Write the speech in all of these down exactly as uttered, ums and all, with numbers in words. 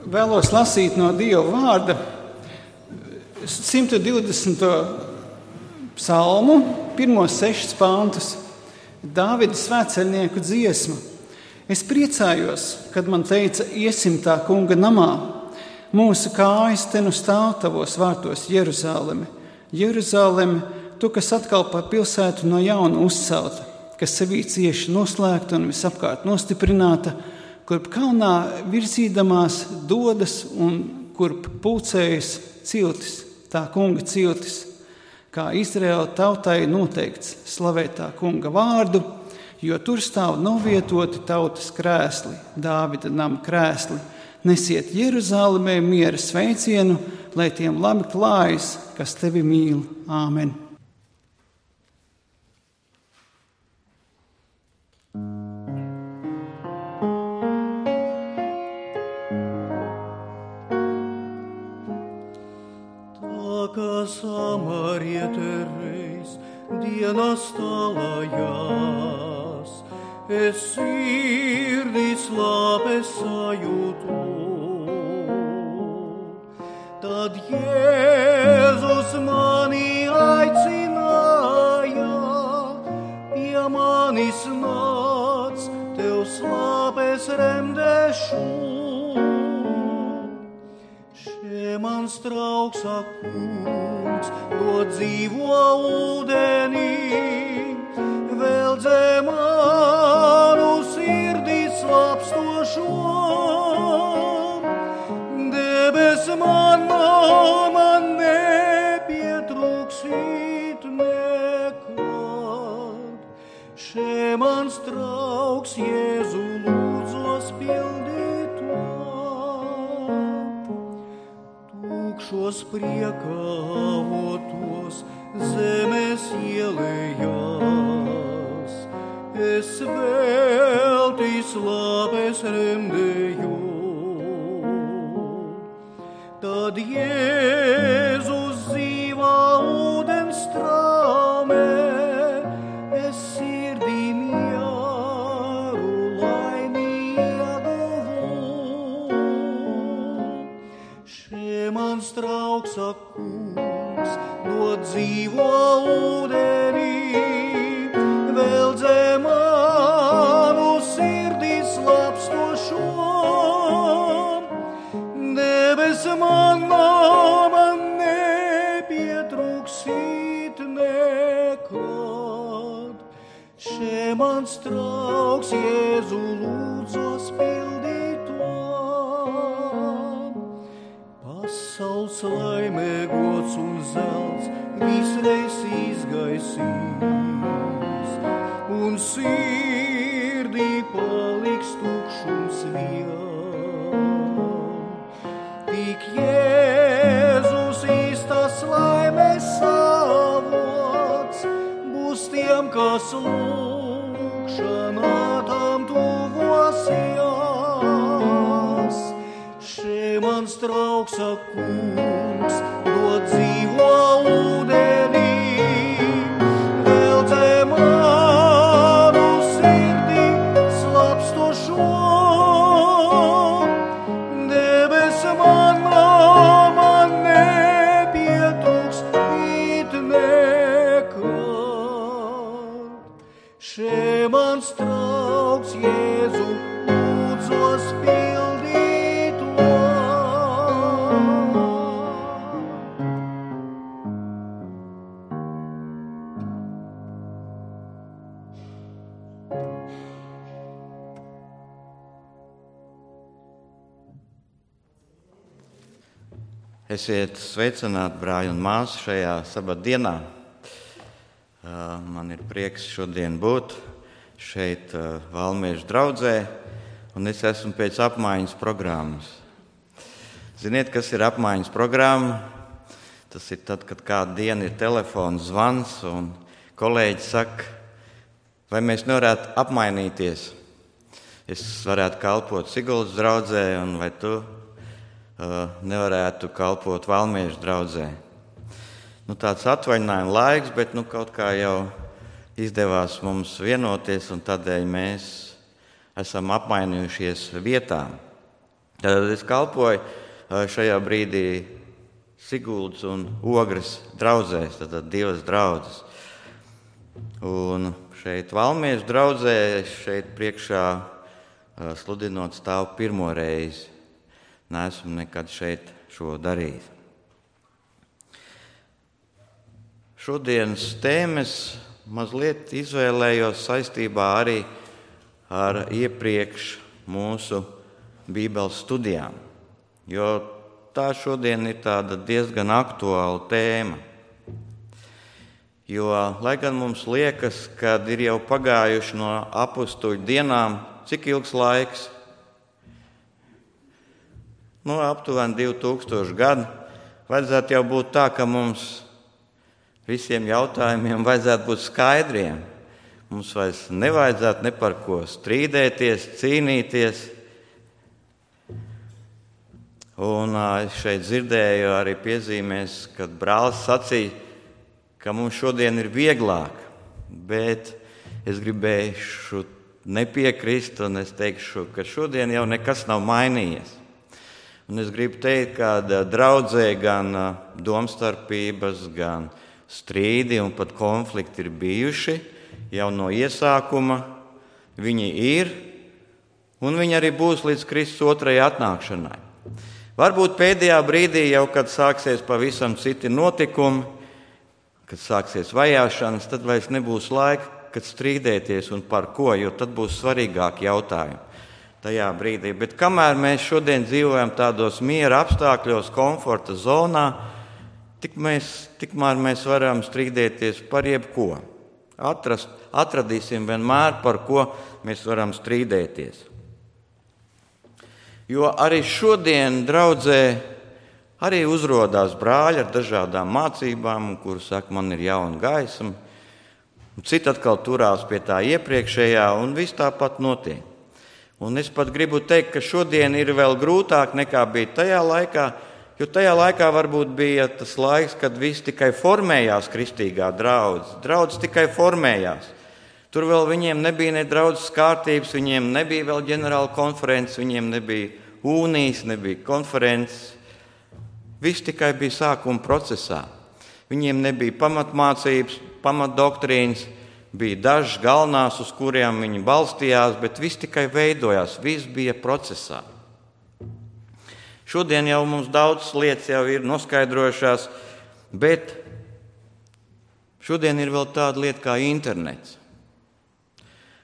vēlos lasīt no Dieva vārda simt divdesmito psalmu, pirmos sešus pantus, Dāvida svētceļnieku dziesma. Es priecājos, kad man teica, iesim tā kunga namā. Mūsu kājas te nu stāv tavos vārtos, Jeruzaleme. Jeruzaleme, tu, kas atkal par pilsētu no jauna uzcelta, kas sevī cieši noslēgta un visapkārt nostiprināta, kurp kalnā virzīdamās dodas un kurp pulcējas ciltis, tā kunga ciltis, kā Izraēla tautai noteikts slavēt tā kunga vārdu, jo tur stāv novietoti tautas krēsli, Dāvida nama krēsli. Nesiet Jeruzalemē miera sveicienu, lai tiem labi klājas, kas tevi mīl. Āmen. Kā samariete reiz dienas tālājās, es sirdī slāpes sajūtu. Tad Jēzus mani aicināja, pie manis nāc, tev slāpes remdešu. Mans trauks kungs, to dzīvo ūdenī, vēl dzē manu sirdī slāpstošo. Debes manā man nepietrūksīt nekad. Še mans trauks Jēzu lūdzos pildīt. Šos priekavotos zemes ielējās, es veltī slāpes remdēju. Tad Jēzus dzīvā ūdens strāmē, es sirdī mieru laimi ieguvu. Mans trauks kungs, no dzīvo ūdenī, vēl dzē manu sirdī slāpstošo. Debes manā man nepietrūksīt nekad. Še mans trauks Jēzu lūdzos pildīt. Pasaules laimē gods un zelts visreiz izgaisīs, un sirdī paliks tukšums vien. Tik Jēzus īstas laimes avots būs tiem, kas lūgšanā tam tuvosies. Mans trauks kungs, dod dzīvo ūdenī, vēl dzē manu sirdī slāpstošo. Debes manā man nepietrūkst nekad. Še mans trauks Jēzu lūdzos pildīt. Esiet sveicināti, brāļi un māsas, šajā sabatdienā. Man ir prieks šodien būt šeit Valmiešu draudzē, un es esmu pēc apmaiņas programmas. Ziniet, kas ir apmaiņas programma? Tas ir tad, kad kādu dienu ir telefons zvans, un kolēģi saka, vai mēs nevarētu apmainīties. Es varētu kalpot Siguldas draudzē, un vai tu nevarētu kalpot Valmiešu draudzē. Nu, tāds atvaļinājuma laiks, bet nu, kaut kā jau izdevās mums vienoties, un tādēļ mēs esam apmainījušies vietām. Tad es kalpoju šajā brīdī Siguldas un Ogres draudzēs, tātad divas draudzes. Un šeit Valmiešu draudzē, šeit priekšā sludinot stāvu pirmo reizi. Neesmu nekad šeit šo darījis. Šodienas tēmas mazliet izvēlējos saistībā arī ar iepriekš mūsu Bībeles studijām, jo tā šodien ir tāda diezgan aktuāla tēma. Jo, lai gan mums liekas, ka ir jau pagājuši no apustuļu dienām, cik ilgs laiks? Nu, aptuveni divi tūkstoši gadi. Vajadzētu jau būt tā, ka mums visiem jautājumiem vajadzētu būt skaidriem. Mums vairs nevajadzētu ne par ko strīdēties, cīnīties. Un es šeit dzirdēju arī piezīmēs, kad brālis sacīja, ka mums šodien ir vieglāk, bet es gribēju nepiekrist un es teikšu, ka šodien jau nekas nav mainījies. Un es gribu teikt, ka draudzē gan domstarpības, gan strīdi un pat konflikti ir bijuši jau no iesākuma. Viņi ir un viņi arī būs līdz Kristus otrajai atnākšanai. Varbūt pēdējā brīdī jau, kad sāksies pavisam citi notikumi, kad sāksies vajāšanas, tad vairs nebūs laika, kad strīdēties un par ko, jo tad būs svarīgāki jautājumi tajā brīdī. Bet kamēr mēs šodien dzīvojam tādos miera apstākļos, komforta zonā, tik mēs, tikmēr mēs varam strīdēties par jebko. Atrast, atradīsim vienmēr, par ko mēs varam strīdēties. Jo arī šodien draudzē arī uzrodās brāļi ar dažādām mācībām, kuri saka, man ir jauna gaisma. Citi atkal turās pie tā iepriekšējā, un viss tāpat notiek. Un es pat gribu teikt, ka šodien ir vēl grūtāk nekā bija tajā laikā, jo tajā laikā varbūt bija tas laiks, kad viss tikai formējās kristīgā draudze. Draudze tikai formējās. Tur vēl viņiem nebija ne draudzes kārtības, viņiem nebija vēl ģenerāla konferences, viņiem nebijaūnijas, nebija konferences. Viss tikai bija sākuma procesā. Viņiem nebija pamatmācības, pamatdoktrīnas, bija dažas galvenās, uz kuriem viņi balstījās, bet viss tikai veidojās, viss bija procesā. Šodien jau mums daudzas lietas jau ir noskaidrojušās, bet šodien ir vēl tāda lieta kā internets.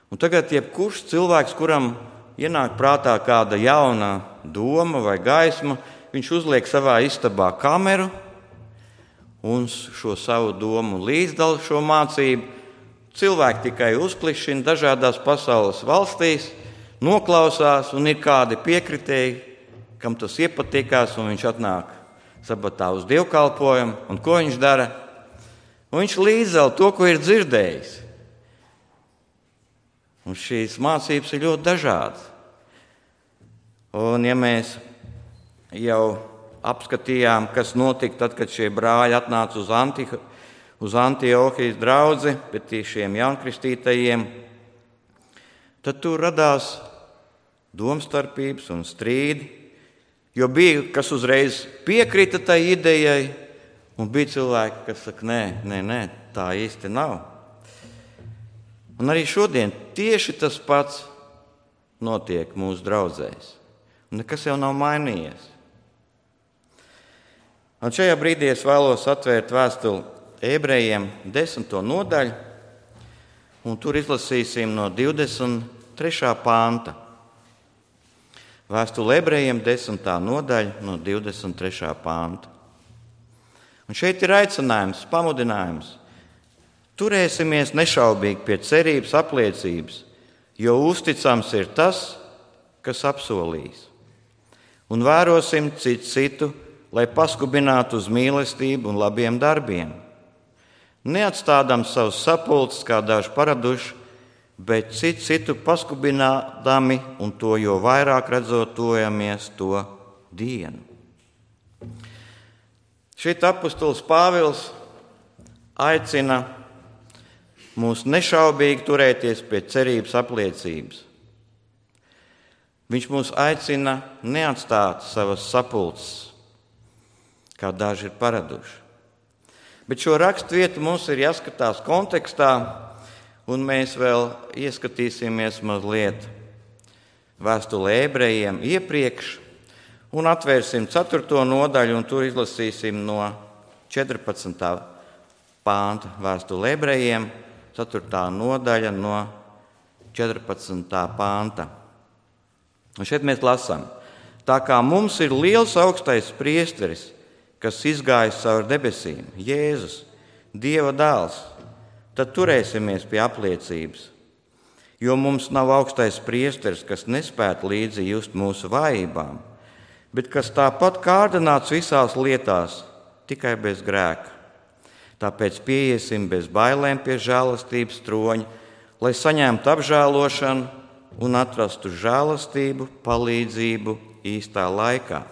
Un tagad jebkurš cilvēks, kuram ienāk prātā kāda jauna doma vai gaisma, viņš uzliek savā istabā kameru un šo savu domu līdzdala šo mācību. Cilvēki tikai uzklišina dažādās pasaules valstīs, noklausās un ir kādi piekritēji, kam tas iepatikās, un viņš atnāk sabatā uz dievkalpojumu. Un ko viņš dara? Un viņš līdzdala to, ko ir dzirdējis. Un šīs mācības ir ļoti dažādas. Un ja mēs jau apskatījām, kas notika tad, kad šie brāļi atnāca uz, Antiha, uz Antiohijas draudzi, bet šiem jaunkristītajiem, tad tur radās domstarpības un strīdi, jo bija, kas uzreiz piekrita tai idejai, un bija cilvēki, kas saka, nē, nē, nē, tā īsti nav. Un arī šodien tieši tas pats notiek mūsu draudzēs. Un nekas jau nav mainījies. Un šajā brīdī es vēlos atvērt vēstuli Ebrejiem desmito nodaļu, un tur izlasīsim no divdesmit trešā panta. Vēstule Ebrejiem desmitā nodaļa no divdesmit trešā panta. Un šeit ir aicinājums, pamudinājums. Turēsimies nešaubīgi pie cerības apliecības, jo uzticams ir tas, kas apsolījis. Un vērosim citu citu, lai paskubinātu uz mīlestību un labiem darbiem. Neatstādām savus sapulces, kā daži paraduši, bet citu citu paskubinādami un to jo vairāk redzot tojamies to dienu. Šeit apustulis Pāvils aicina mūs nešaubīgi turēties pie cerības apliecības. Viņš mūs aicina neatstāt savas sapulces, kā daži ir paraduši. Bet šo raksturvietu mums ir jāskatās kontekstā, un mēs vēl ieskatīsimies mazliet vēstulē ebrejiem iepriekš, un atvērsim ceturto nodaļu, un tur izlasīsim no četrpadsmitā pānta vēstulē ebrejiem, ceturtā nodaļa no četrpadsmitā pānta. Un šeit mēs lasām: tā kā mums ir liels augstais priesteris, kas izgājis cauri debesīm, Jēzus, Dieva dēls, tad turēsimies pie apliecības. Jo mums nav augstais priesteris, kas nespētu līdzi just mūsu vājībām, bet kas tāpat kārdināts visās lietās, tikai bez grēka. Tāpēc pieiesim bez bailēm pie žēlastības troņa, lai saņemtu apžēlošanu un atrastu žēlastību, palīdzību īstā laikā.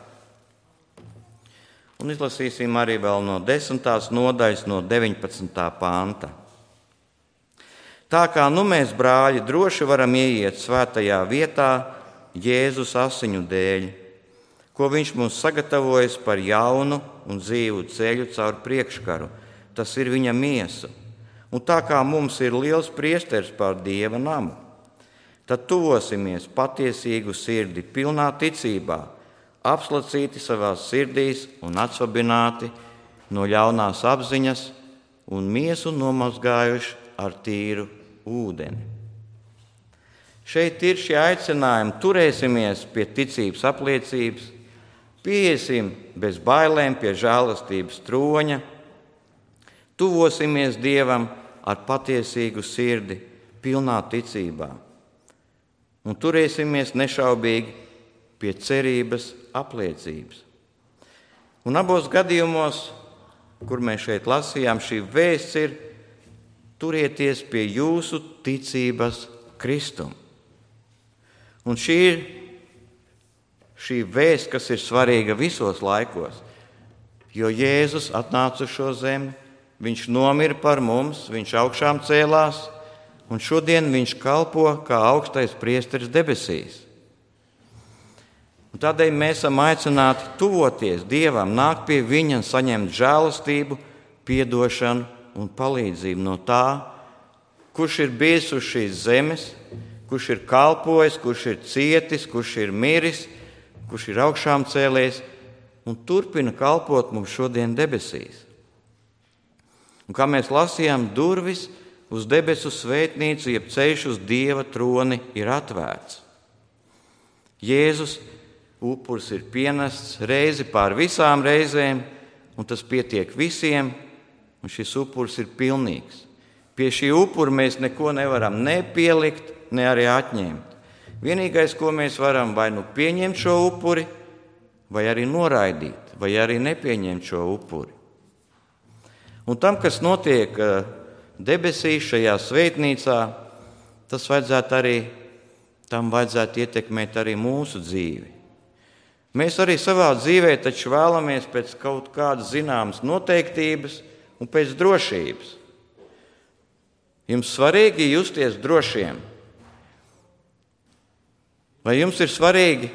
Un izlasīsim arī vēl no desmitās nodaļas, no deviņpadsmitā panta. Tā kā nu mēs, brāļi, droši varam ieiet svētajā vietā Jēzus asiņu dēļ, ko viņš mums sagatavojas par jaunu un dzīvu ceļu caur priekškaru, tas ir viņa miesa. Un tā kā mums ir liels priesteris pār Dieva namu, tad tuvosimies patiesīgu sirdi, pilnā ticībā, apslacīti savās sirdīs un atsvabināti no ļaunās apziņas un miesu nomazgājuši ar tīru ūdeni. Šeit ir šie aicinājumi: turēsimies pie ticības apliecības, pieiesim bez bailēm pie žēlastības troņa, tuvosimies Dievam ar patiesīgu sirdi, pilnā ticībā, un turēsimies nešaubīgi pie cerības apliecības. Un abos gadījumos, kur mēs šeit lasījām, šī vēsts ir: turieties pie jūsu ticības Kristum. Un šī ir šī vēsts, kas ir svarīga visos laikos, jo Jēzus atnāca uz šo zemi, viņš nomira par mums, viņš augšām cēlās, un šodien viņš kalpo kā augstais priesteris debesīs. Un tādēļ mēs esam aicināti tuvoties Dievam, nākt pie viņa un saņemt žēlastību, piedošanu un palīdzību no tā, kurš ir bijis uz šīs zemes, kurš ir kalpojis, kurš ir cietis, kurš ir miris, kurš ir augšām cēlies un turpina kalpot mums šodien debesīs. Un kā mēs lasījām, durvis uz debesu svētnīcu, jeb ceļš uz Dieva troni ir atvērts. Jēzus upuris ir pienests reizi pār visām reizēm, un tas pietiek visiem, un šis upuris ir pilnīgs. Pie šī upura mēs neko nevaram ne pielikt, ne arī atņemt. Vienīgais, ko mēs varam, vai nu pieņemt šo upuri, vai arī noraidīt, vai arī nepieņemt šo upuri. Un tam, kas notiek debesīs šajā svētnīcā, tas vajadzētu arī, tam vajadzētu ietekmēt arī mūsu dzīvi. Mēs arī savā dzīvē taču vēlamies pēc kaut kādas zināmas noteiktības un pēc drošības. Jums svarīgi justies drošiem? Vai jums ir svarīgi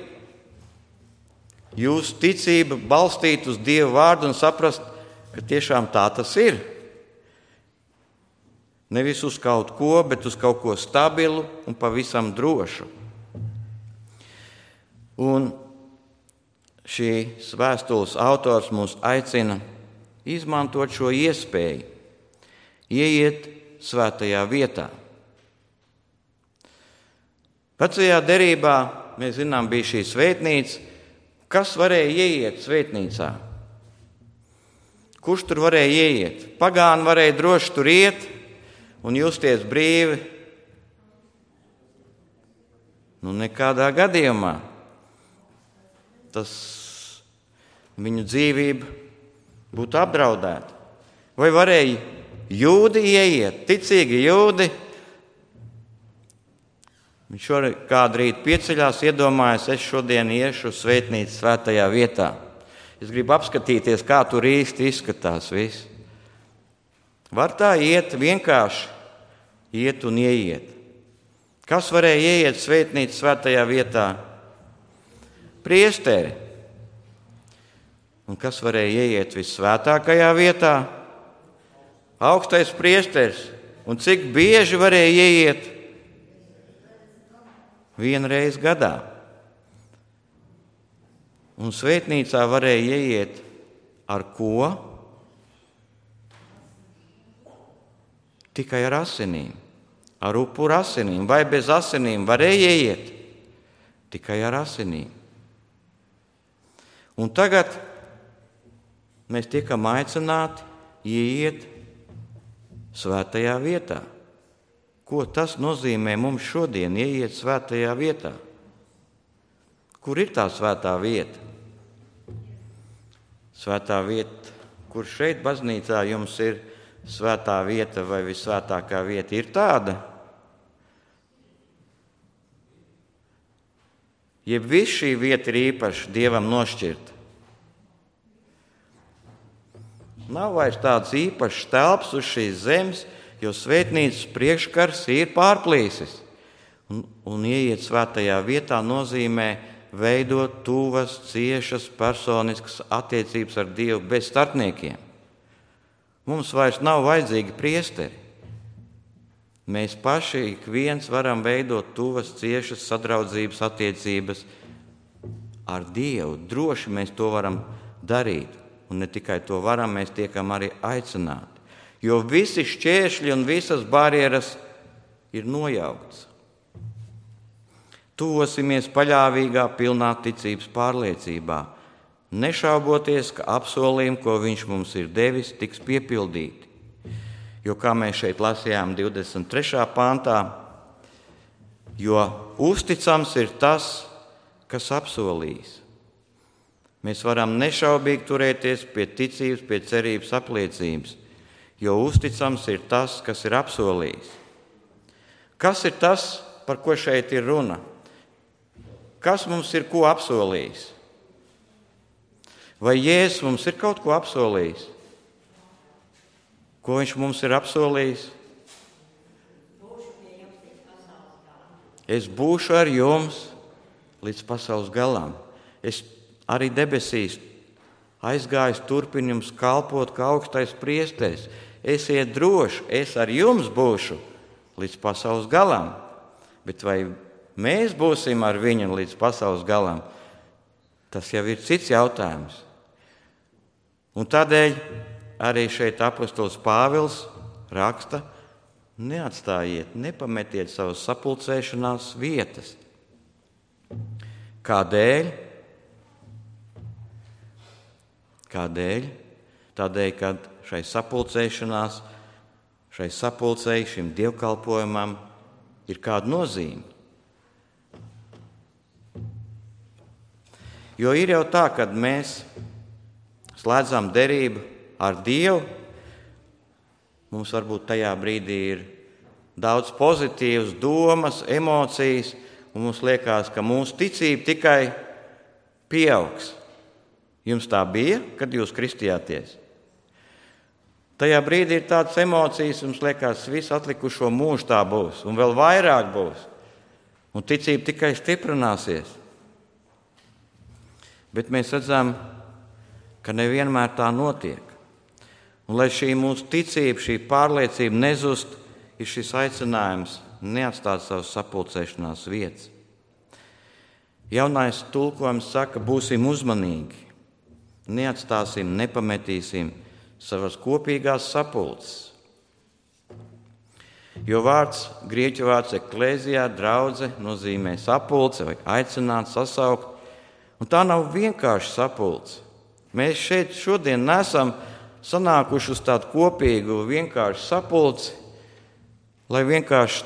jūsu ticība balstīt uz Dieva vārdu un saprast, ka tiešām tā tas ir? Nevis uz kaut ko, bet uz kaut ko stabilu un pavisam drošu. Un šīs vēstules autors mūs aicina izmantot šo iespēju, ieiet svētajā vietā. Vecajā derībā, mēs zinām, bija šī svētnīca. Kas varēja ieiet svētnīcā? Kurš tur varēja ieiet? Pagāni varēja droši tur iet un justies brīvi? Nu, nekādā gadījumā. Tas viņu dzīvība būtu apdraudēta. Vai varēja jūdi ieiet, ticīgi jūdi? Viņš šodien kādu rītu pieceļās, iedomājas, es šodien iešu uz svētnīcu svētajā vietā. Es gribu apskatīties, kā tur īsti izskatās viss. Var tā iet, vienkārši iet un ieiet. Kas varēja ieiet svētnīcu svētajā vietā? priesteri. Un kas varēja ieiet visvētākajā vietā? Augstais priesteris. Un cik bieži varēja ieiet? Vienreiz gadā. Un svētnīcā varēja ieiet ar ko? Tikai ar asinīm. Ar upuru asinīm. Vai bez asinīm varēja ieiet? Tikai ar asinīm. Un tagad mēs tiekam aicināti ieiet svētajā vietā. Ko tas nozīmē mums šodien ieiet svētajā vietā? Kur ir tā svētā vieta? Svētā vieta, kur šeit baznīcā jums ir svētā vieta vai visvētākā vieta, ir tāda? Jeb viss šī vieta ir īpaši Dievam nošķirta. Nav vairs tāds īpašs telps uz šīs zemes, jo svētnīcas priekškars ir pārplīsis. Un, un ieiet svētajā vietā nozīmē veidot tuvas, ciešas, personiskas attiecības ar Dievu bez starpniekiem. Mums vairs nav vajadzīgi priesteri. Mēs paši ik viens varam veidot tuvas, ciešas sadraudzības attiecības ar Dievu. Droši mēs to varam darīt. Un ne tikai to varam, mēs tiekam arī aicināti. Jo visi šķēršļi un visas barjeras ir nojauktas. Tuvosimies paļāvīgā, pilnā ticības pārliecībā, nešauboties, ka apsolījumi, ko viņš mums ir devis, tiks piepildīti. Jo, kā mēs šeit lasījām divdesmit trešajā pantā, jo uzticams ir tas, kas apsolījis. Mēs varam nešaubīgi turēties pie ticības, pie cerības apliecības, jo uzticams ir tas, kas ir apsolījis. Kas ir tas, par ko šeit ir runa? Kas mums ir ko apsolījis? Vai Jēzus mums ir kaut ko apsolījis? Ko viņš mums ir apsolījis? Es būšu ar jums līdz pasaules galam. Es arī debesīs aizgājis turpin jums kalpot kā augstais priesteris. Esiet droši, es ar jums būšu līdz pasaules galam. Bet vai mēs būsim ar viņu līdz pasaules galam? Tas jau ir cits jautājums. Un tādēļ arī šeit apostols Pāvils raksta: neatstājiet, nepametiet savas sapulcēšanās vietas. Kādēļ? Kādēļ? Tādēļ, kad šai sapulcēšanās, šai sapulcei, šim dievkalpojumam ir kāda nozīme. Jo ir jau tā, kad mēs slēdzam derību ar Dievu, mums varbūt tajā brīdī ir daudz pozitīvas domas, emocijas, un mums liekas, ka mūsu ticība tikai pieaugs. Jums tā bija, kad jūs kristījāties? Tajā brīdī ir tādas emocijas, jums liekas, visu atlikušo mūžu tā būs, un vēl vairāk būs. Un ticība tikai stiprināsies. Bet mēs redzam, ka nevienmēr tā notiek. Un lai šī mūsu ticība, šī pārliecība nezust, ir šis aicinājums neatstāt savas sapulcēšanās vietas. Jaunais tulkojums saka, būsim uzmanīgi. Neatstāsim, nepametīsim savas kopīgās sapulces. Jo vārds, grieķu vārds eklēzijā, draudze, nozīmē sapulce vai aicināt, sasaukt. Un tā nav vienkārši sapulce. Mēs šeit šodien nesam sanākuši uz tādu kopīgu, vienkāršu sapulci, lai vienkārši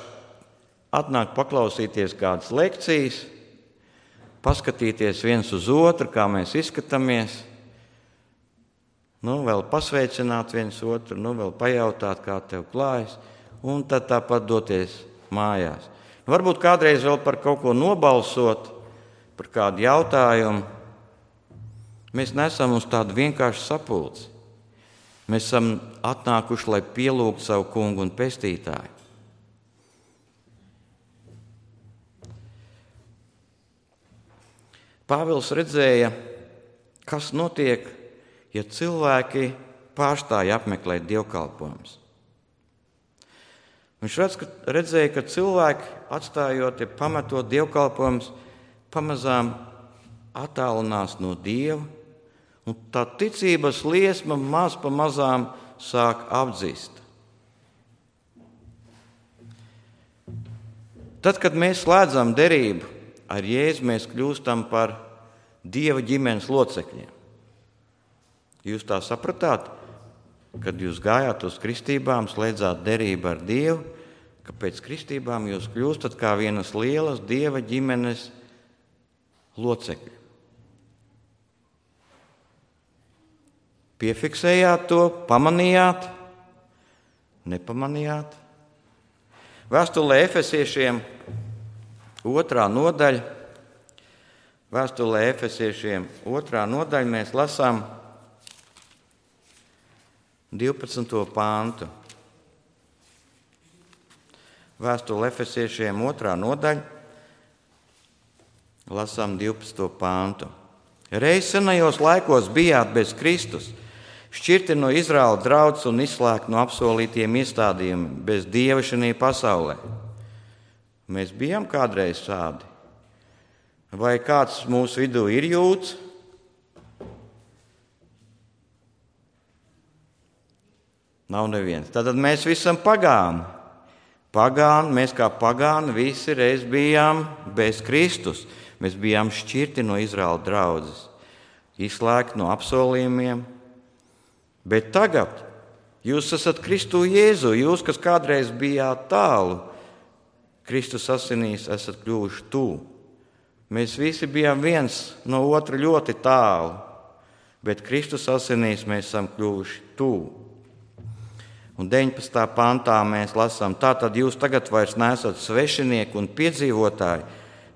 atnāk paklausīties kādas lekcijas, paskatīties viens uz otru, kā mēs izskatāmies. Nu, vēl pasveicināt viens otru, nu, vēl pajautāt, kā tev klājas, un tad tāpat doties mājās. Varbūt kādreiz vēl par kaut ko nobalsot, par kādu jautājumu. Mēs nesam uz tādu vienkāršu sapulci. Mēs esam atnākuši, lai pielūgtu savu kungu un pestītāju. Pāvils redzēja, kas notiek, ja cilvēki pārstāja apmeklēt dievkalpojumus. Viņš redz, ka, redzēja, ka cilvēki, atstājot, ja pametot dievkalpojumus, pamazām attālinās no Dieva, un tā ticības liesma maz pa mazām sāk apdzist. Tad, kad mēs slēdzam derību ar Jēzu, mēs kļūstam par Dieva ģimenes locekļiem. Jūs tā sapratāt, kad jūs gājāt uz kristībām, slēdzāt derību ar Dievu, ka pēc kristībām jūs kļūstat kā vienas lielas Dieva ģimenes locekļi. Piefiksējāt to, pamanījāt, nepamanījāt. Vēstulē Efesiešiem otrā nodaļa, vēstulē Efesiešiem otrā nodaļa mēs lasām divpadsmito pāntu. Vēstule Efesiešiem otrā nodaļa, lasām divpadsmito pāntu. Reiz senajos laikos bijāt bez Kristus, šķirti no Izraēla draudzes un izslēgti no apsolītiem iestādījumiem, bez Dieva šajā pasaulē. Mēs bijām kādreiz tādi. Vai kāds mūsu vidū ir jūds? Nav neviens. Tātad mēs visi esam pagāni. Pagāni, mēs kā pagāni visi reiz bijām bez Kristus. Mēs bijām šķirti no Izraēla draudzes, izslēgti no apsolījumiem. Bet tagad jūs esat Kristu Jēzu, jūs, kas kādreiz bijāt tālu, Kristus asinīs esat kļuvuši tuvu. Mēs visi bijām viens no otra ļoti tālu, bet Kristus asinīs mēs esam kļuvuši tuvu. Un deviņpadsmitā pantā mēs lasām, tātad jūs tagad vairs neesat svešinieki un piedzīvotāji,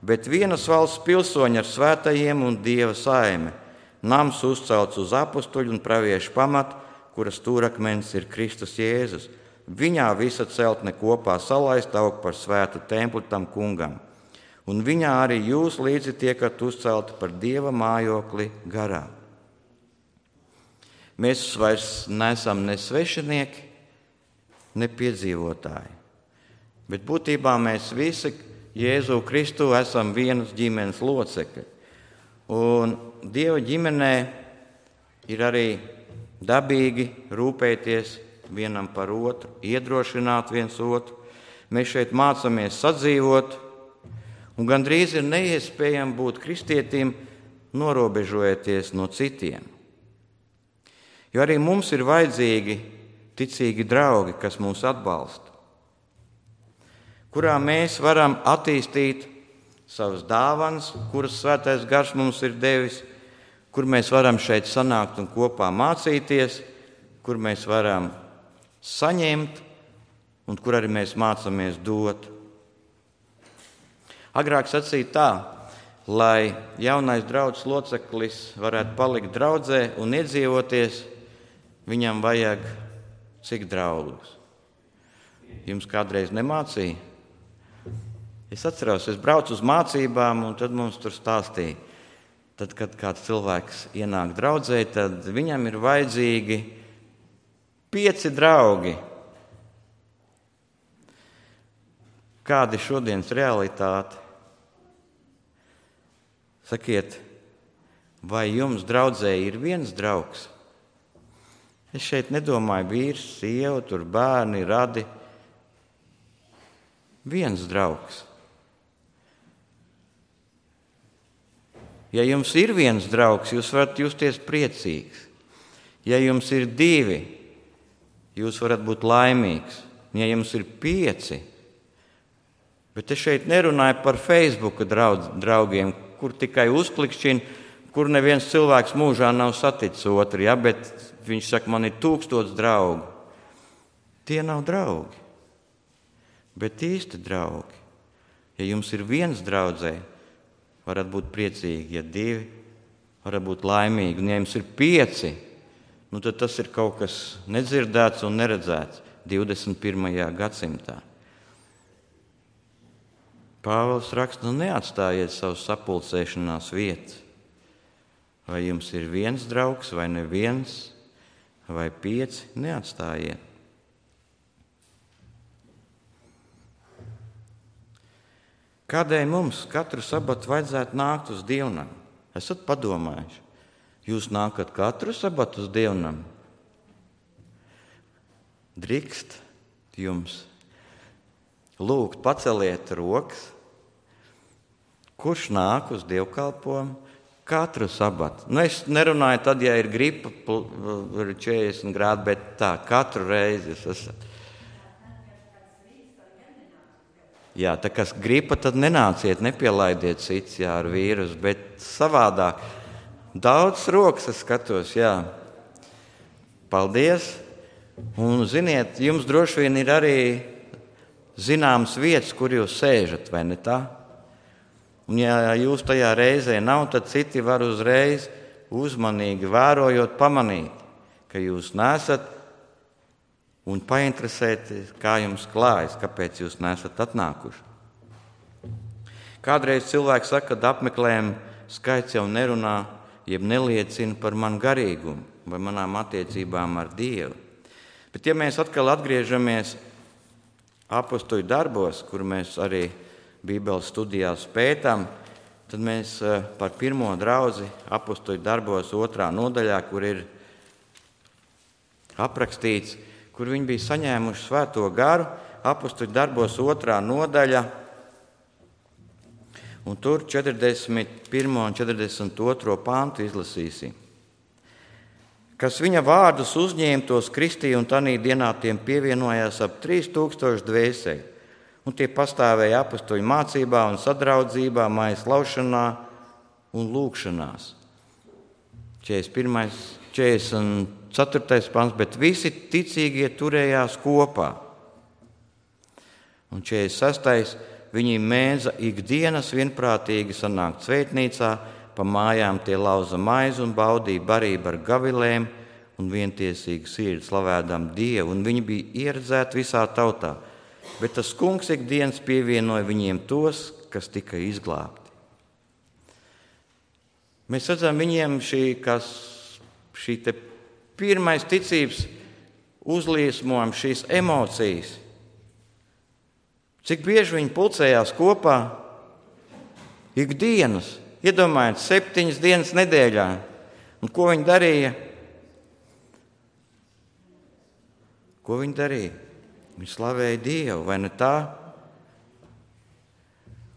bet vienas valsts pilsoņi ar svētajiem un Dieva saime, nams uzcelts uz apustuļu un praviešu pamatu, kuras stūrakmenis ir Kristus Jēzus. Viņā visa celtne kopā salaista aug par svētu templi tam kungam. Un viņā arī jūs līdzi tiekat uzcelti par Dieva mājokli garā. Mēs vairs neesam ne svešinieki, ne piedzīvotāji. Bet būtībā mēs visi Jēzu Kristu esam vienas ģimenes locekļi. Un Dieva ģimenē ir arī dabīgi rūpēties vienam par otru, iedrošināt viens otru. Mēs šeit mācāmies sadzīvot, un gandrīz ir neiespējami būt kristietim, norobežojoties no citiem. Jo arī mums ir vajadzīgi ticīgi draugi, kas mūs atbalsta, kurā mēs varam attīstīt savas dāvanas, kuras svētais gars mums ir devis, kur mēs varam šeit sanākt un kopā mācīties, kur mēs varam saņemt un kur arī mēs mācāmies dot. Agrāk sacīja tā, lai jaunais draudzes loceklis varētu palikt draudzē un iedzīvoties, viņam vajag cik draugus. Jums kādreiz nemācīja? Es atceros, es braucu uz mācībām, un tad mums tur stāstīja. Tad, kad kāds cilvēks ienāk draudzē, tad viņam ir vajadzīgi pieci draugi. Kāda ir šodienas realitāte? Sakiet, vai jums draudzē ir viens draugs? Es šeit nedomāju vīrs, sieva, tur bērni, radi. Viens draugs. Ja jums ir viens draugs, jūs varat justies priecīgs. Ja jums ir divi, jūs varat būt laimīgs. Ja jums ir pieci, bet es šeit nerunāju par Facebook draudz, draugiem, kur tikai uzklikšķina, kur neviens cilvēks mūžā nav saticis otru, ja, bet viņš saka, man ir tūkstots draugu. Tie nav draugi, bet īsti draugi. Ja jums ir viens draudzē, varat būt priecīgi, ja divi, varat būt laimīgi. Un ja jums ir pieci, nu tad tas ir kaut kas nedzirdēts un neredzēts divdesmit pirmajā gadsimtā. Pāvils raksta, nu neatstājiet savus sapulcēšanās vietas. Vai jums ir viens draugs, vai neviens, vai pieci, neatstājiet. Kādēļ mums katru sabatu vajadzētu nākt uz dievnam? Esat padomājuši, jūs nākat katru sabatu uz dievnam? Drīkst jums lūgt, paceliet rokas, kurš nāk uz dievkalpojumu katru sabatu. Nu, es nerunāju tad, ja ir gripa, četrdesmit grādi, bet tā, katru reizi jūs esat. Jā, tā kas gripa, tad nenāciet, nepielaidiet cits, jā, ar vīrusu, bet savādāk. Daudz rokas es skatos, jā. Paldies. Un, ziniet, jums droši vien ir arī zināmas vietas, kur jūs sēžat, vai ne tā? Un ja jūs tajā reizē nav, tad citi var uzreiz uzmanīgi vērojot pamanīt, ka jūs nesat un painteresēties, kā jums klājas, kāpēc jūs nesat atnākuši. Kādreiz cilvēks saka, ka apmeklējumu skaits jau nerunā, jeb neliecina par manu garīgumu vai manām attiecībām ar Dievu. Bet ja mēs atkal atgriežamies apostoļu darbos, kur mēs arī Bībeles studijās pētām, tad mēs par pirmo draudzi apostoļu darbos otrā nodaļā, kur ir aprakstīts, kur viņi bija saņēmuši svēto garu, apostoļu darbos otrā nodaļa, un tur četrdesmit pirmo un četrdesmit otro pantu izlasīsim. Kas viņa vārdus uzņēma, tos kristīja, un tanī dienā tiem pievienojās ap trīs tūkstoši dvēseli, un tie pastāvēja apostoļu mācībā un sadraudzībā, mājas laušanā un lūgšanās. četrdesmit pirmais, četrdesmit ceturtais pants, bet visi ticīgie turējās kopā. Un četrdesmit sestais viņi mēdza ikdienas vienprātīgi sanākt svētnīcā, pa mājām tie lauza maizi un baudīja barību ar gavilēm un vientiesīgi sirdi slavēdam Dievu, un viņi bija ieredzēti visā tautā. Bet tas kungs ikdienas pievienoja viņiem tos, kas tika izglābti. Mēs redzam viņiem šī, kas, šī te pirmais ticības uzliesmojums, šīs emocijas. Cik bieži viņi pulcējās kopā ikdienas, iedomājiet, septiņas dienas nedēļā. Un ko viņi darīja? Ko viņi darīja? Viņi slavēja Dievu, vai ne tā?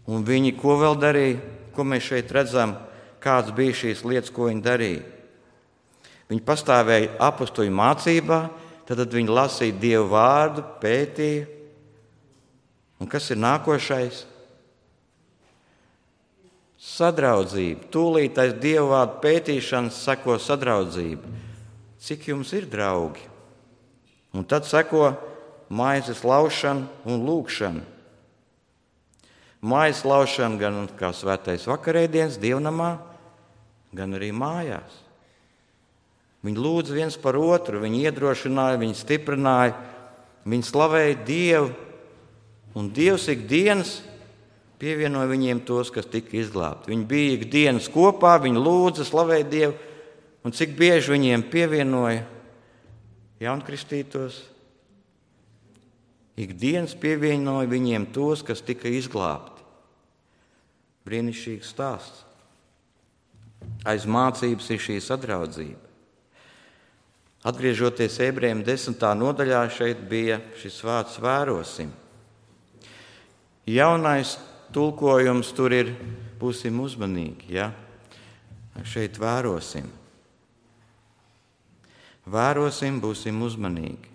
Un viņi ko vēl darīja? Ko mēs šeit redzam? Kāds bija šīs lietas, ko viņi darīja? Viņi pastāvēja apostoļu mācībā, tad viņi lasīja Dievu vārdu, pētīja. Un kas ir nākošais? Sadraudzība. Tūlīt aiz Dievu vārdu pētīšanas seko sadraudzība. Cik jums ir draugi? Un tad seko maizes laušana un lūgšana. Maizes laušana gan kā svētais vakarēdienas dievnamā, gan arī mājās. Viņi lūdza viens par otru, viņi iedrošināja, viņi stiprināja, viņi slavēja Dievu, un Dievs ikdienas pievienoja viņiem tos, kas tika izglābti. Viņi bija ikdienas kopā, viņi lūdza, slavēja Dievu, un cik bieži viņiem pievienoja jaunkristītos? Ikdienas pievienoja viņiem tos, kas tika izglābti. Brīnišķīgs stāsts. Aiz mācības ir šī sadraudzība. Atgriežoties Ebrejiem desmitā nodaļā, šeit bija šis vārds vērosim. Jaunais tulkojums tur ir būsim uzmanīgi, ja? Šeit vērosim. Vērosim, būsim uzmanīgi.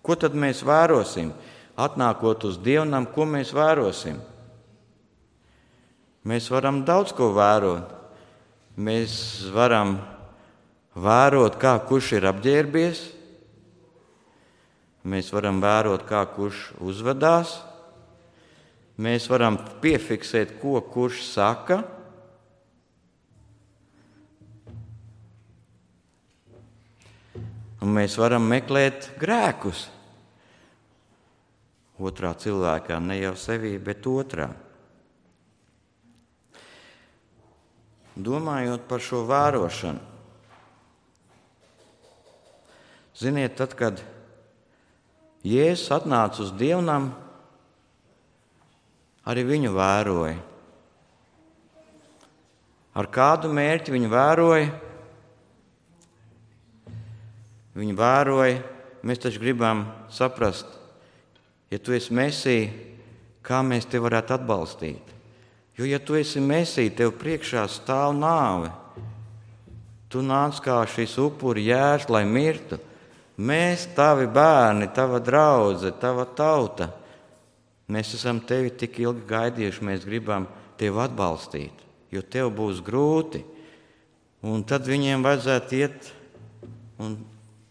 Ko tad mēs vērosim? Atnākot uz dievnam, ko mēs vērosim? Mēs varam daudz ko vērot. Mēs varam vērot, kā kurš ir apģērbies. Mēs varam vērot, kā kurš uzvedās. Mēs varam piefiksēt, ko kurš saka. Un mēs varam meklēt grēkus. otrā cilvēkā, ne jau sevī, bet otrā. Domājot par šo vērošanu, ziniet, tad, kad Jēzus atnāca uz dievnam, arī viņu vēroja. Ar kādu mērķi viņu vēroja? Viņu vēroja, mēs taču gribam saprast, ja tu esi Mesija, kā mēs tevi varētu atbalstīt. Jo, ja tu esi Mesija, tev priekšā stāv nāve. Tu nāc kā šis upuri jērs, lai mirtu. Mēs, tavi bērni, tava draudze, tava tauta, mēs esam tevi tik ilgi gaidījuši, mēs gribam tevi atbalstīt, jo tev būs grūti. Un tad viņiem vajadzētu iet un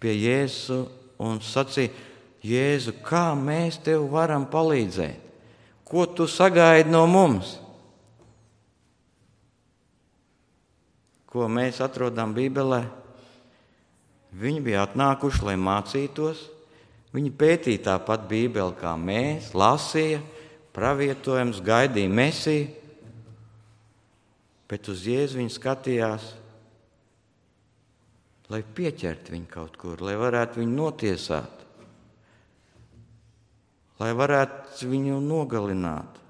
pie Jēzu un sacīt, Jēzu, kā mēs tev varam palīdzēt? Ko tu sagaidi no mums? Ko mēs atrodam Bībelē? Viņi bija atnākuši, lai mācītos. Viņi pētīja tāpat Bībeli kā mēs, lasīja, pravietojums, gaidīja Mesiju. Bet uz Jēzu viņi skatījās, lai pieķertu viņu kaut kur, lai varētu viņu notiesāt, lai varētu viņu nogalināt.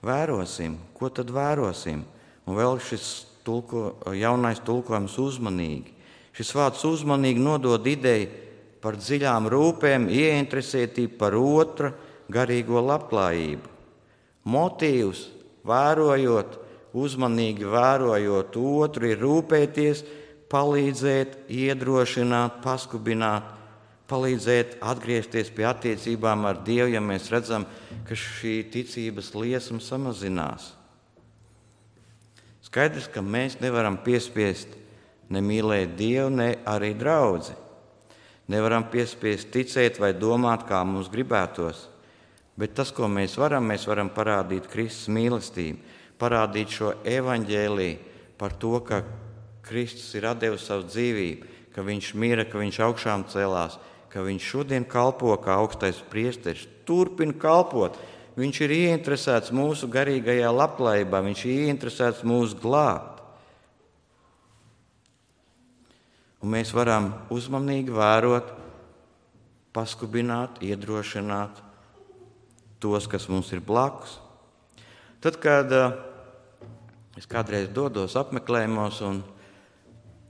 Vērosim, ko tad vērosim? Un vēl šis tulko, jaunais tulkojums uzmanīgi. Šis vārds uzmanīgi nodod ideju par dziļām rūpēm, ieinteresētību par otra garīgo labklājību. Motīvs, vērojot, uzmanīgi vērojot otru, ir rūpēties, palīdzēt, iedrošināt, paskubināt, palīdzēt atgriezties pie attiecībām ar Dievu, ja mēs redzam, ka šī ticības liesma samazinās. Skaidrs, ka mēs nevaram piespiest ne mīlēt Dievu, ne arī draudzi. Nevaram piespiest ticēt vai domāt, kā mums gribētos. Bet tas, ko mēs varam, mēs varam parādīt Kristus mīlestību, parādīt šo evaņģēliju par to, ka Kristus ir atdevis savu dzīvību, ka viņš mira, ka viņš augšām celās, ka viņš šodien kalpo kā augstais priesteris, turpina kalpot. Viņš ir ieinteresēts mūsu garīgajā labklājībā, viņš ir ieinteresēts mūs glābt. Un mēs varam uzmanīgi vērot, paskubināt, iedrošināt tos, kas mums ir blakus. Tad, kad uh, es kādreiz dodos apmeklējumos, un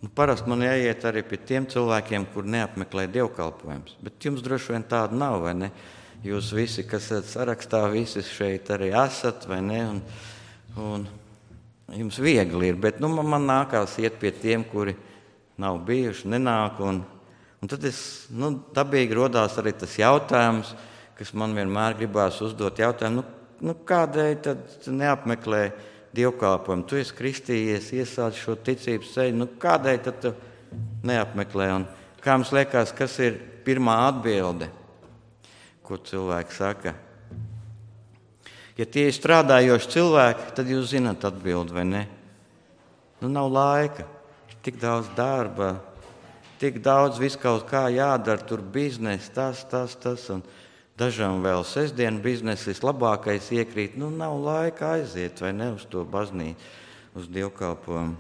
nu, parasti man jāiet arī pie tiem cilvēkiem, kur neapmeklē dievkalpojumus. Bet jums droši vien tāda nav, vai ne? Jūs visi, kas esat sarakstā, visi šeit arī esat, vai ne? Un, un jums viegli ir, bet nu, man, man nākās iet pie tiem, kuri nav bijuši, nenāk. Un, un tad es, nu, dabīgi rodās arī tas jautājums, kas man vienmēr gribās uzdot jautājumu, nu, nu kādēļ tad neapmeklē dievkalpojumu? Tu esi kristījies, iesācis šo ticības ceļu, nu kādēļ tad tu neapmeklē? Un kā jums liekas, kas ir pirmā atbilde? Ko cilvēki saka? Ja tie ir strādājoši cilvēki, tad jūs zināt atbildi, vai ne? Nu, nav laika, ir tik daudz darba, tik daudz viss kaut kā jādara, tur biznes, tas, tas, tas, un dažam vēl sestdienu biznes vislabākais iekrīt. Nu, nav laika aiziet, vai ne, uz to baznīcu, uz dievkalpojumu.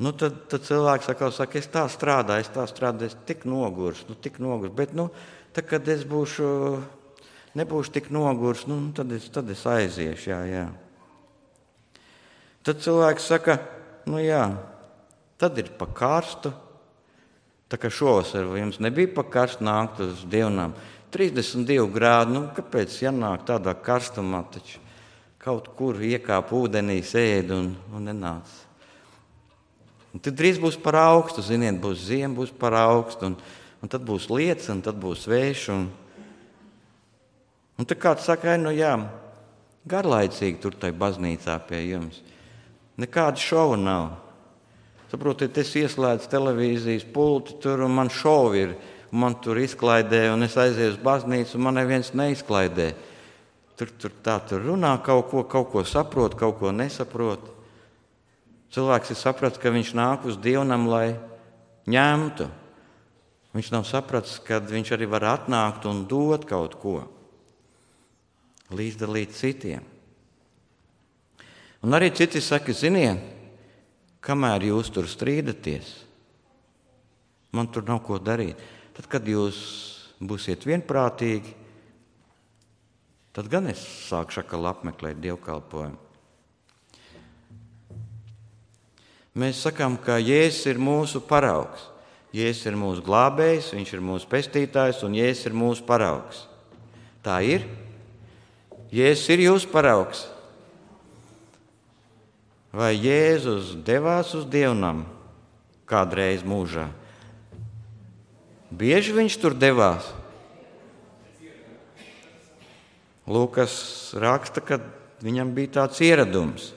Nu, tad, tad cilvēks saka, saka, es tā strādāju, es tā strādāju, es tik nogurs, nu, tik nogurs, bet, nu, tad, kad es būšu, nebūšu tik nogurs, nu, tad, es, tad es aiziešu, jā, jā. Tad cilvēks saka, nu jā, tad ir pa karstu. Tā kā šovasar jums nebija pa karstu nākt uz dievnām. trīsdesmit divi grādi, nu kāpēc jānāk tādā karstumā, taču kaut kur iekāp ūdenī, sēd un, un nenāc. Un tad drīz būs par augstu, ziniet, būs ziema, būs par augstu, un, un tad būs lietus, un tad būs vējš. Un, un tad kāds saka, nu jā, garlaicīgi tur tai baznīcā pie jums. Nekāda šova nav. Saprotiet, es ieslēdzu televīzijas pulti tur, un man šovi ir, un man tur izklaidē, un es aizēju uz baznīcu, un man neviens neizklaidē. Tur, tur tā tur runā kaut ko, kaut ko saprot, kaut ko nesaprot. Cilvēks ir sapratis, ka viņš nāk uz dievnam, lai ņemtu. Viņš nav sapratis, ka viņš arī var atnākt un dot kaut ko, līdzdalīt citiem. Un arī citi saka, ziniet, kamēr jūs tur strīdaties, man tur nav ko darīt. Tad, kad jūs būsiet vienprātīgi, tad gan es sākšu atkal apmeklēt dievkalpojumu. Mēs sakām, ka Jēzus ir mūsu paraugs. Jēzus ir mūsu glābējs, viņš ir mūsu pestītājs un Jēzus ir mūsu paraugs. Tā ir? Jēzus ir jūsu paraugs. Vai Jēzus devās uz dievnam kādreiz mūžā? Bieži viņš tur devās. Lūkas raksta, ka viņam bija tāds ieradums.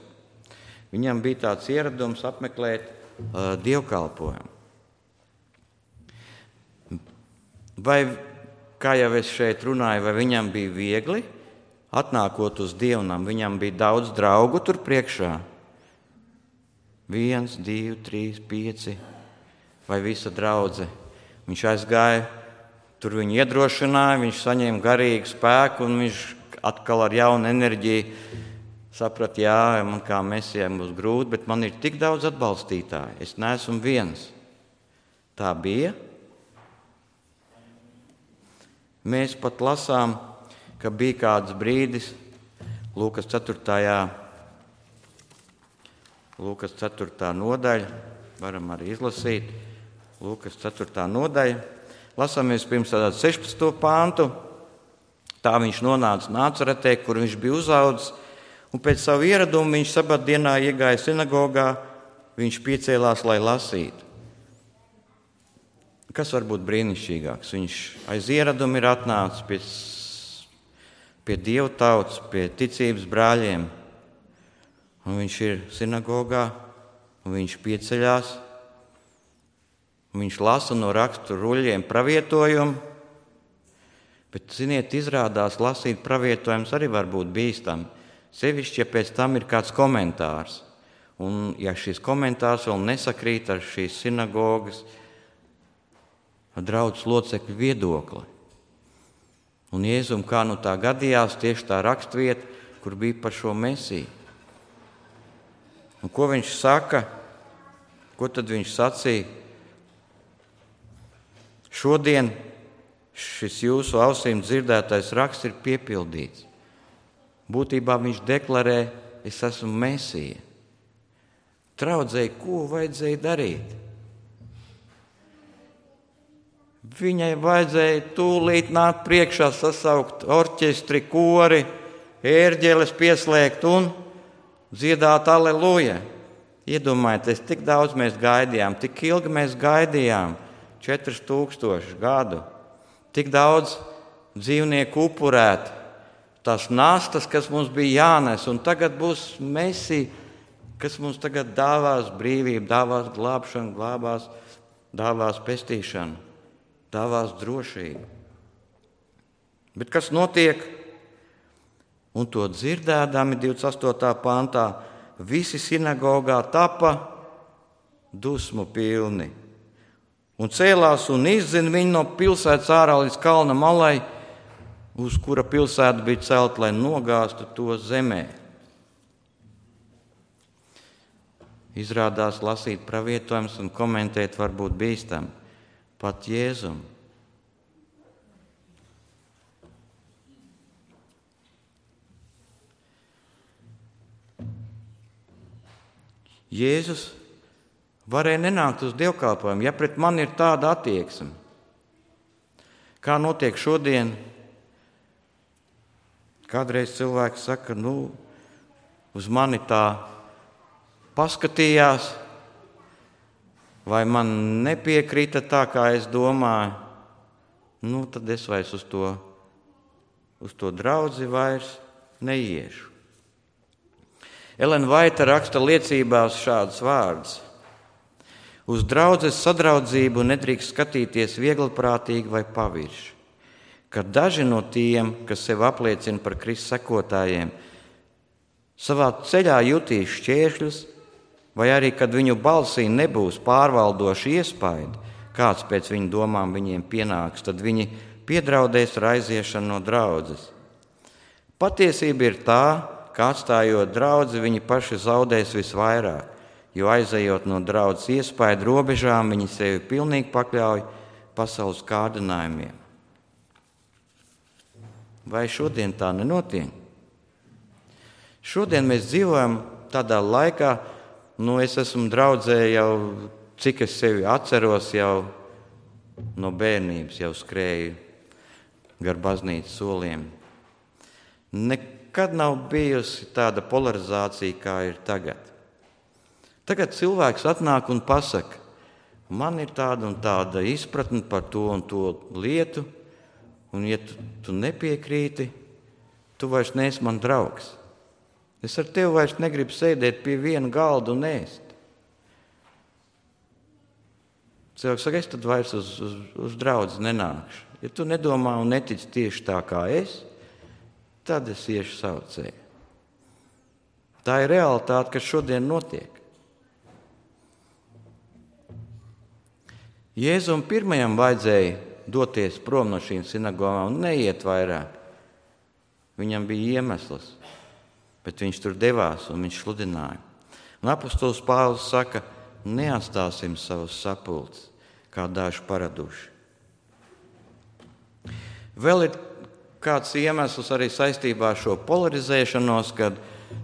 Viņam bija tāds ieradums apmeklēt uh, dievkalpojumu. Vai, kā jau es šeit runāju, vai viņam bija viegli atnākot uz dievnam? Viņam bija daudz draugu tur priekšā. Viens, divi, trīs, pieci vai visa draudze. Viņš aizgāja, tur viņu iedrošināja, viņš saņēma garīgu spēku un viņš atkal ar jaunu enerģiju saprata, jā, man kā mesijam būs grūti, bet man ir tik daudz atbalstītāju. Es neesmu viens. Tā bija. Mēs pat lasām, ka bija kāds brīdis Lūkas ceturtajā Lūkas ceturtā nodaļa, varam arī izlasīt, Lūkas ceturtā nodaļa. Lasāmies pirms tādu sešpadsmito pāntu. Tā viņš nonāca Nācaretē, kur viņš bija uzaudzis, un pēc savu ieradumu viņš sabatdienā iegāja sinagogā, viņš piecēlās, lai lasītu. Kas var būt brīnišķīgāks? Viņš aiz ieradumu ir atnācis pie, pie Dieva tautas, pie ticības brāļiem. Un viņš ir sinagogā, un viņš pieceļās, un viņš lasa no rakstu ruļļiem pravietojumu, bet, ziniet, izrādās lasīt pravietojumus arī var būt bīstami, sevišķi, ja pēc tam ir kāds komentārs. Un ja šis komentārs vēl nesakrīt ar šīs sinagogas draudzes locekļu viedokli. Un Jēzum, kā nu tā gadījās, tieši tā rakstvieta, kur bija par šo mesiju. Un ko viņš saka? Ko tad viņš sacīja? Šodien šis jūsu ausīm dzirdētais raksts ir piepildīts. Būtībā viņš deklarē, es esmu Mesija. Draudzēji, ko vajadzēja darīt? Viņai vajadzēja tūlīt nākt priekšā, sasaukt orķestri, kori, ērģeles pieslēgt un dziedāt aleluja. Iedomājieties, tik daudz mēs gaidījām, tik ilgi mēs gaidījām, četras tūkstoši gadu. Tik daudz dzīvnieku upurēt, tās nastas, kas mums bija jānes, un tagad būs Mesija, kas mums tagad dāvās brīvību, dāvās glābšanu, glābās, dāvās pestīšanu, dāvās drošību. Bet kas notiek? Un to dzirdēdami divdesmit astotā pantā, visi sinagogā tapa dusmu pilni. Un cēlās un izzina viņu no pilsētas ārā līdz kalna malai, uz kura pilsēta bija celta, lai nogāztu to zemē. Izrādās lasīt pravietojumus un komentēt var būt bīstami. Pat Jēzum. Jēzus varēja nenākt uz dievkalpojumu, ja pret mani ir tāda attieksme. Kā notiek šodien? Kādreiz cilvēks saka, nu, uz mani tā paskatījās, vai man nepiekrita tā, kā es domāju, nu, tad es vairs uz to, uz to draudzi vairs neiešu. Elena Vaita raksta liecībās šādus vārdus. Uz draudzes sadraudzību nedrīkst skatīties viegliprātīgi vai pavirši. Kad daži no tiem, kas sev apliecina par Kristus sekotājiem, savā ceļā jutīs šķēršļus, vai arī, kad viņu balsī nebūs pārvaldoši iespaidi, kāds pēc viņu domām viņiem pienāks, tad viņi piedraudēs ar aiziešanu no draudzes. Patiesība ir tā, ka atstājot draudzi, viņi paši zaudēs visvairāk, jo aizejot no draudzes iespaidu robežām, viņi sevi pilnīgi pakļauj pasaules kārdinājumiem. Vai šodien tā nenotiek? Šodien mēs dzīvojam tādā laikā, nu es esmu draudzē jau, cik es sevi atceros, jau no bērnības jau skrēju gar baznīcas soliem. Nekad nav bijusi tāda polarizācija, kā ir tagad. Tagad cilvēks atnāk un pasaka, man ir tāda un tāda izpratne par to un to lietu, un ja tu, tu nepiekrīti, tu vairs neesi man draugs. Es ar tevi vairs negribu sēdēt pie viena galda un ēst. Cilvēks saka, es tad vairs uz, uz, uz draudzi nenākšu. Ja tu nedomā un netici tieši tā kā es, tad es iešu savu ceļu. Tā ir realitāte, kas šodien notiek. Jēzum pirmajam vajadzēja doties prom no šīm sinagogām un neiet vairāk. Viņam bija iemesls, bet viņš tur devās un viņš sludināja. Un apostols Pāvils saka, neatstāsim savus sapulces, kā daži paraduši. Vēl ir kāds iemesls arī saistībā ar šo polarizēšanos, kad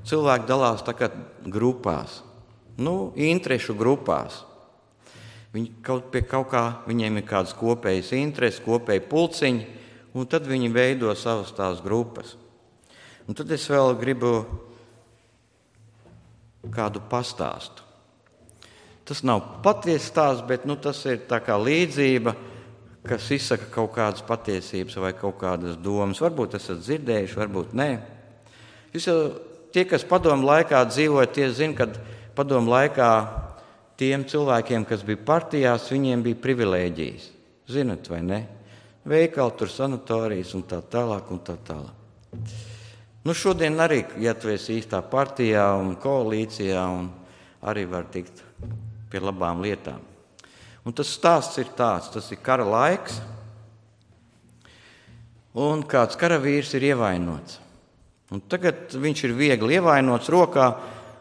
cilvēki dalās tā kā grupās, nu, interešu grupās. Viņi kaut pie kaut kā, viņiem ir kādas kopējas intereses, kopēji pulciņi, un tad viņi veido savas tās grupas. Un tad es vēl gribu kādu pastāstu. Tas nav patiesa stāsts, bet nu, tas ir tā kā līdzība, kas izsaka kaut kādas patiesības vai kaut kādas domas. Varbūt esat dzirdējuši, varbūt nē. Jūs jau, tie, kas padomu laikā dzīvoja, tie zina, ka padomu laikā tiem cilvēkiem, kas bija partijās, viņiem bija privilēģijas. Zinat vai ne? Veikali, tur sanatorijas un tā tālāk un tā tālāk. Nu šodien arī, ja tu esi īstā partijā un koalīcijā, un arī var tikt pie labām lietām. Un tas stāsts ir tāds, tas ir kara laiks, un kāds karavīrs ir ievainots. Un tagad viņš ir viegli ievainots rokā,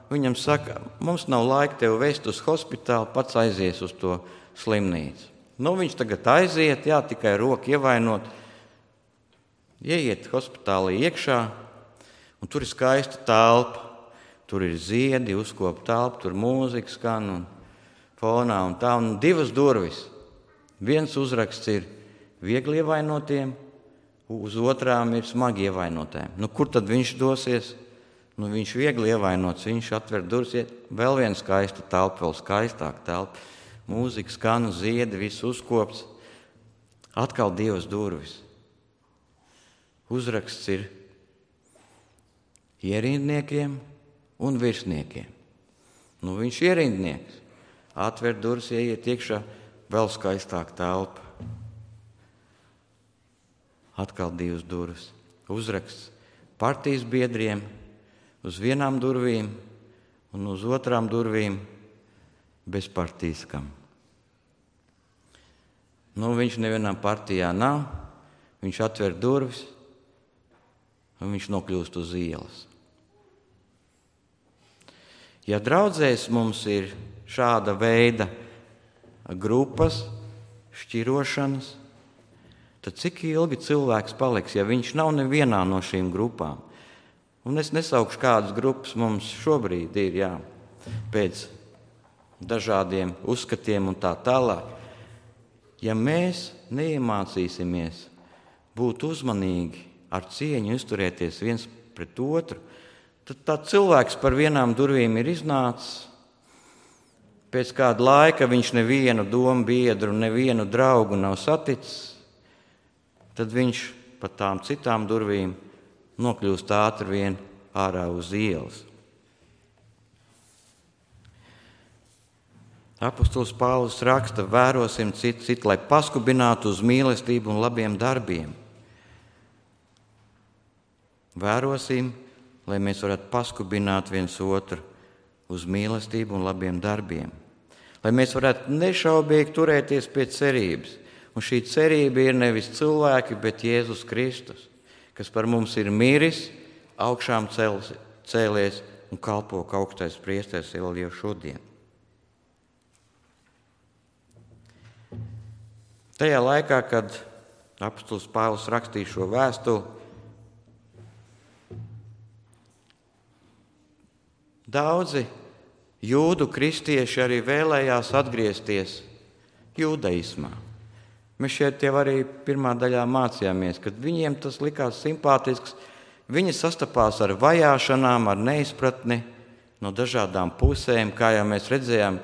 viņam saka, mums nav laika tevi vest uz hospitālu, pats aizies uz to slimnīcu. Nu, viņš tagad aiziet, jā, tikai roku ievainot, ieiet hospitālī iekšā, un tur ir skaista telpa, tur ir ziedi, uzkopa telpa, tur mūzika skan un fonā un tā, un divas durvis. Viens uzraksts ir viegli ievainotiem, uz otrām ir smagi ievainotēm. Nu, kur tad viņš dosies? Nu, viņš viegli ievainots, viņš atver durvis, vēl viena skaista telpa, vēl skaistāka telpa. Mūzika skan, ziedi, viss uzkops. Atkal divas durvis. Uzraksts ir ierindniekiem un virsniekiem. Nu, viņš ierindnieks. Atver durvis, ieiet iekšā, vēl skaistāka telpa. Atkal divas durvis. Uzraksts partijas biedriem, uz vienām durvīm un uz otrām durvīm bezpartīskam. Nu, viņš nevienā partijā nav, viņš atver durvis un viņš nokļūst uz ielas. Ja draudzēs mums ir šāda veida grupas, šķirošanas, tad cik ilgi cilvēks paliks, ja viņš nav nevienā no šīm grupām? Un es nesaukšu, kādas grupas mums šobrīd ir, jā, pēc dažādiem uzskatiem un tā tālāk. Ja mēs neiemācīsimies būt uzmanīgi, ar cieņu izturēties viens pret otru, tad tā cilvēks par vienām durvīm ir iznācis. Pēc kāda laika viņš nevienu domu biedru, nevienu draugu nav saticis, tad viņš pa tām citām durvīm nokļūst ātri vien ārā uz ielas. Apostols Pāvils raksta, vērosim citu, citu, lai paskubinātu uz mīlestību un labiem darbiem. Vērosim, lai mēs varētu paskubināt viens otru uz mīlestību un labiem darbiem. lai mēs varētu nešaubīgi turēties pie cerības. Un šī cerība ir nevis cilvēki, bet Jēzus Kristus, kas par mums ir miris, augšām cels, cēlies un kalpo kā augstais priesteris vēl jau šodien. Tajā laikā, kad apostols Pāvils rakstīja šo vēstuli, daudzi jūdu kristieši arī vēlējās atgriezties jūdaismā. Mēs šeit jau arī pirmā daļā mācījāmies, kad viņiem tas likās simpātisks. Viņi sastapās ar vajāšanām, ar neizpratni no dažādām pusēm, kā jau mēs redzējām.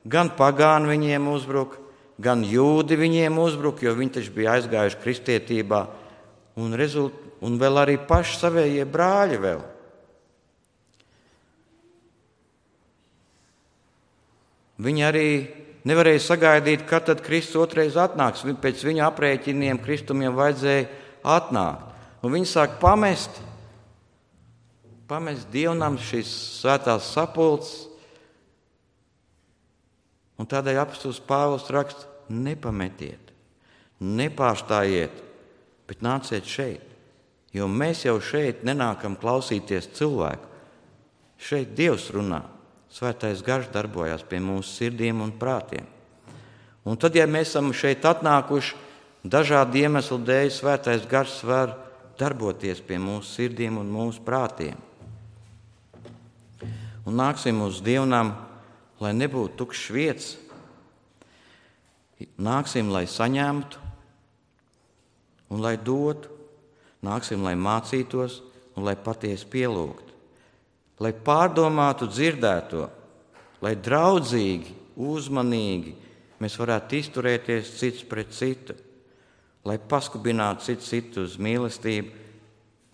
Gan pagāni viņiem uzbruka, gan jūdi viņiem uzbruka, jo viņi taču bija aizgājuši kristietībā, un, rezult, un vēl arī paši savējie brāļi vēl. Viņi arī nevarēja sagaidīt, kad tad Kristus otrais atnāks. Pēc viņu aprēķiniem Kristum jau vajadzēja atnākt. Un viņi sāk pamest, pamest dievnam šīs svētās sapulces. Un tādēļ apostols Pāvils raksta, nepametiet, nepārstājiet, bet nāciet šeit. Jo mēs jau šeit nenākam klausīties cilvēku. Šeit Dievs runā. Svētais Gars darbojās pie mūsu sirdīm un prātiem. Un tad, ja mēs esam šeit atnākuši, dažādu iemeslu dēļ Svētais Gars var darboties pie mūsu sirdīm un mūsu prātiem. Un nāksim uz dievnam, lai nebūtu tukšs vietas. Nāksim, lai saņemtu un lai dotu. Nāksim, lai mācītos un lai patiesi pielūgtu. Lai pārdomātu dzirdēto, lai draudzīgi, uzmanīgi mēs varētu izturēties cits pret citu, lai paskubinātu citu citu uz mīlestību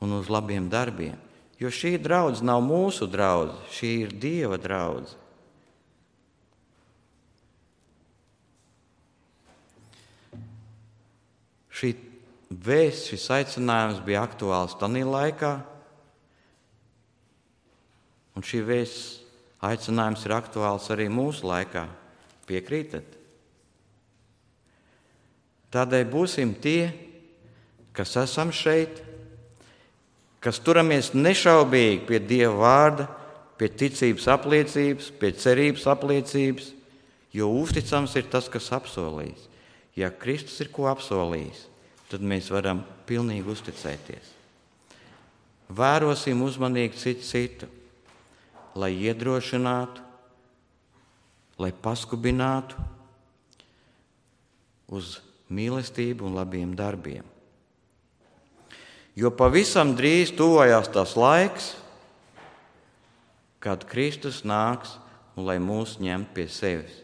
un uz labiem darbiem. Jo šī draudze nav mūsu draudze, šī ir Dieva draudze. Šī vēsts, šis aicinājums bija aktuāls tanī laikā, un šī vēsts aicinājums ir aktuāls arī mūsu laikā. Piekrītat? Tādēļ būsim tie, kas esam šeit, kas turamies nešaubīgi pie Dieva vārda, pie ticības apliecības, pie cerības apliecības, jo uzticams ir tas, kas apsolījis. Ja Kristus ir ko apsolījis, tad mēs varam pilnīgi uzticēties. Vērosim uzmanīgi citu citu, lai iedrošinātu, lai paskubinātu uz mīlestību un labiem darbiem. Jo pavisam drīz tuvojās tas laiks, kad Kristus nāks un lai mūs ņemt pie sevis.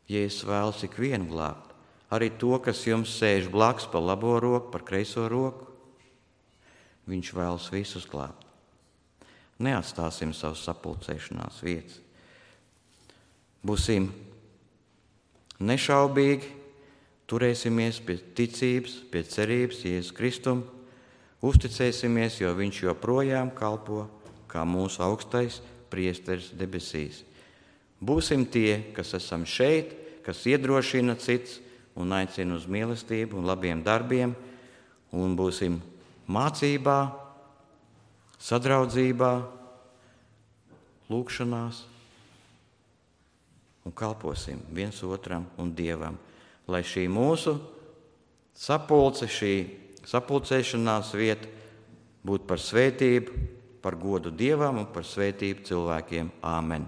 Jēzus vēlas ikvienu glābt, arī to, kas jums sēž blakus pa labo roku, par kreiso roku. Viņš vēlas visus glābt. Neatstāsim savus sapulcēšanās vietas. Būsim nešaubīgi, turēsimies pie ticības, pie cerības Jēzus Kristum, uzticēsimies, jo viņš joprojām kalpo kā mūsu augstais priesteris debesīs. Būsim tie, kas esam šeit, kas iedrošina cits un aicina uz mīlestību un labiem darbiem, un būsim mācībā, sadraudzībā, lūgšanās un kalposim viens otram un Dievam, lai šī mūsu sapulce, šī sapulcēšanās vieta būtu par svētību, par godu Dievam un par svētību cilvēkiem. Āmen.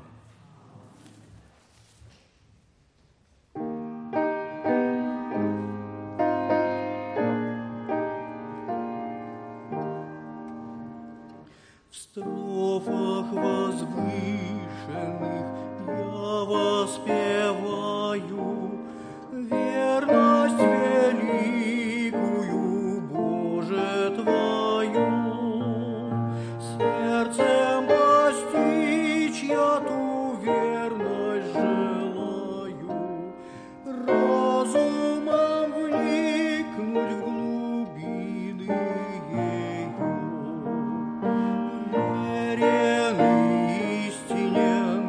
В строфах возвышенных я воспеваю верность великую, Боже, Твою. Сердцем постичь я ту верность желаю, разумом вникнуть в глубины ею. Верен истинен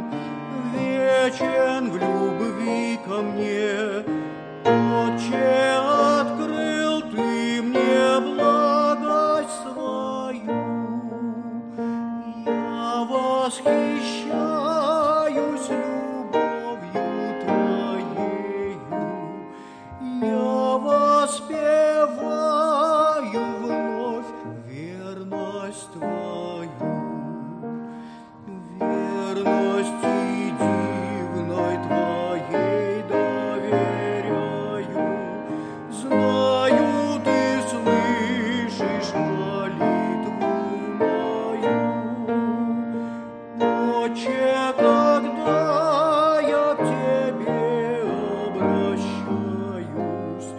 Отче, когда я к Тебе обращаюсь,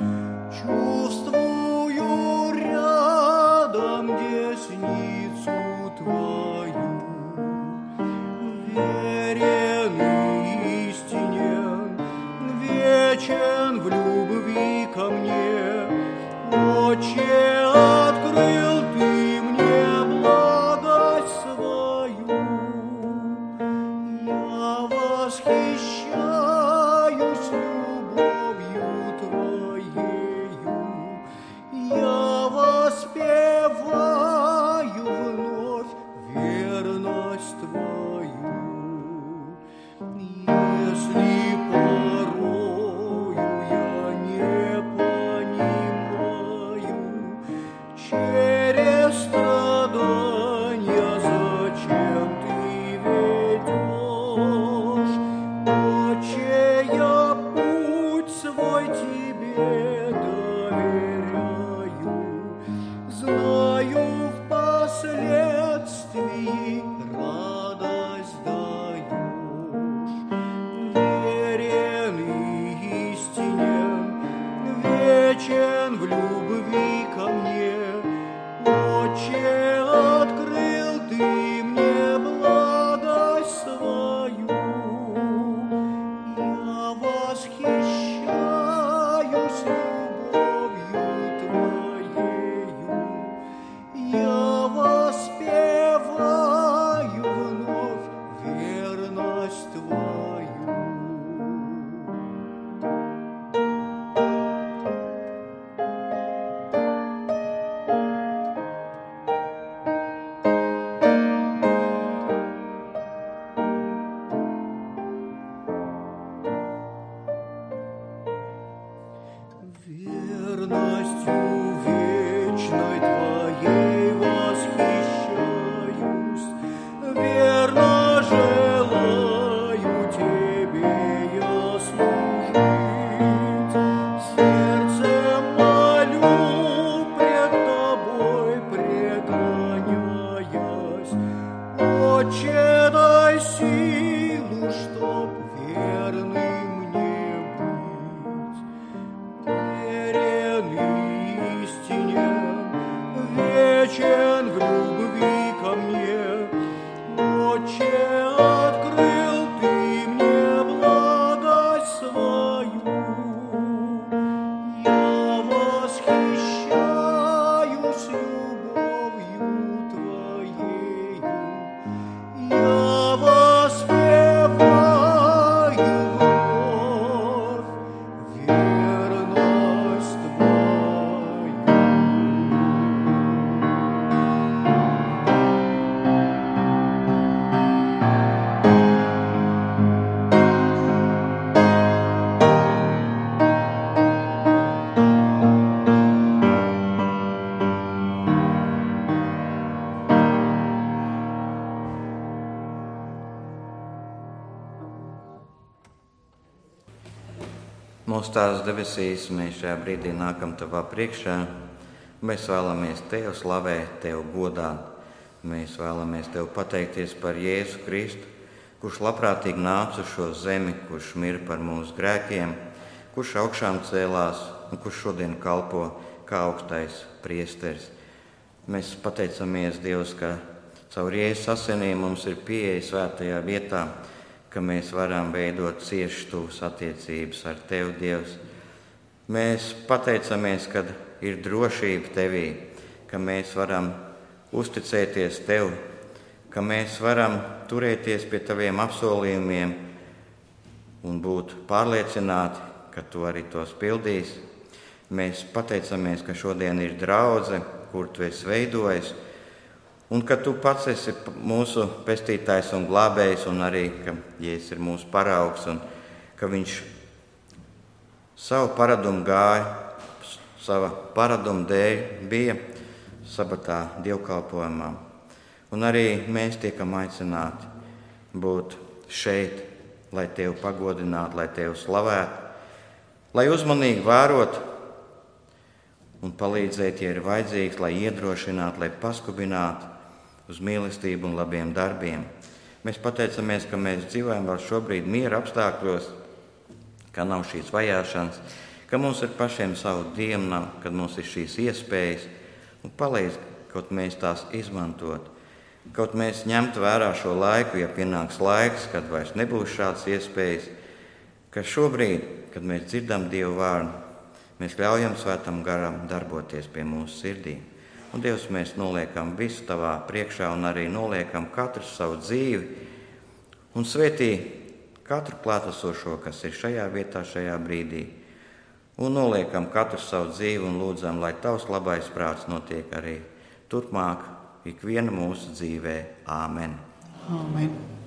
чувствую рядом десницу Твою. Верен истинен, вечен в любви ко мне. Отче, открыл Ты мне благость свою. Я восхищаюсь любовью Твоею. Я воспеваю вновь верность Твою. Если порою я не понимаю, через страдания зачем Ты ведешь, Отче, я путь свой Тебе доверяю, знаю впоследствии радость даешь. Верен и истинен, вечен в любви ко мне. Отче, открыл Ты мне благость свою. Я восхищаюсь любовью Твоею. Я воспеваю вновь верность Твою. Верностью вечной Твоей восхищаюсь, верно желаю Тебе я служить. Сердцем молю пред Тобой преклоняясь, Отче, дай силу, чтоб верным мне быть. Верен и истинен, вечен в любви ко мне. Отче, открыл Ты мне благость свою. Я восхищаюсь любовью Твоею. Я воспеваю вновь верность Твою. Mūsu Tēvs debesīs, mēs šajā brīdī nākam Tavā priekšā. Mēs vēlamies Tev slavēt, Tev godāt. Mēs vēlamies Tev pateikties par Jēzu Kristu, kurš labprātīgi nāca uz šo zemi, kurš mira par mūsu grēkiem, kurš augšām cēlās un kurš šodien kalpo kā augstais priesteris. Mēs pateicamies, Dievs, ka caur Jēzus asinīm mums ir pieeja svētajā vietā, ka mēs varam veidot ciešas tuvas attiecības ar Tevi, Dievs. Mēs pateicamies, ka ir drošība Tevī, ka mēs varam uzticēties Tev, ka mēs varam turēties pie Taviem apsolījumiem un būt pārliecināti, ka Tu arī tos pildīsi. Mēs pateicamies, ka šodien ir draudze, kur Tu esi veidojis, un ka Tu pats esi mūsu pestītājs un glābējs, un arī, ka Jēzus ir mūsu paraugs, un ka Viņš savu paradumu gāja, sava paraduma dēļ bija sabatā dievkalpojumā. Un arī mēs tiekam aicināti būt šeit, lai Tevi pagodinātu, lai Tevi slavētu, lai uzmanīgi vērot un palīdzēt, ja ir vajadzīgs, lai iedrošinātu, lai paskubinātu uz mīlestību un labiem darbiem. Mēs pateicamies, ka mēs dzīvojam vēl šobrīd miera apstākļos, ka nav šīs vajāšanas, ka mums ir pašiem savu dienu, kad mums ir šīs iespējas, un palīdz, kaut mēs tās izmantot. Kaut mēs ņemtu vērā šo laiku, ja pienāks laiks, kad vairs nebūs šādas iespējas, ka šobrīd, kad mēs dzirdam Dievu vārdu, mēs ļaujam Svētam garam darboties pie mūsu sirdīm. Un Dievs, mēs noliekam visu tavā priekšā un arī noliekam katru savu dzīvi un svētī katru klātesošo, kas ir šajā vietā, šajā brīdī. Un noliekam katru savu dzīvi un lūdzam, lai tavs labais prāts notiek arī turpmāk ikviena mūsu dzīvē. Āmen. Āmen.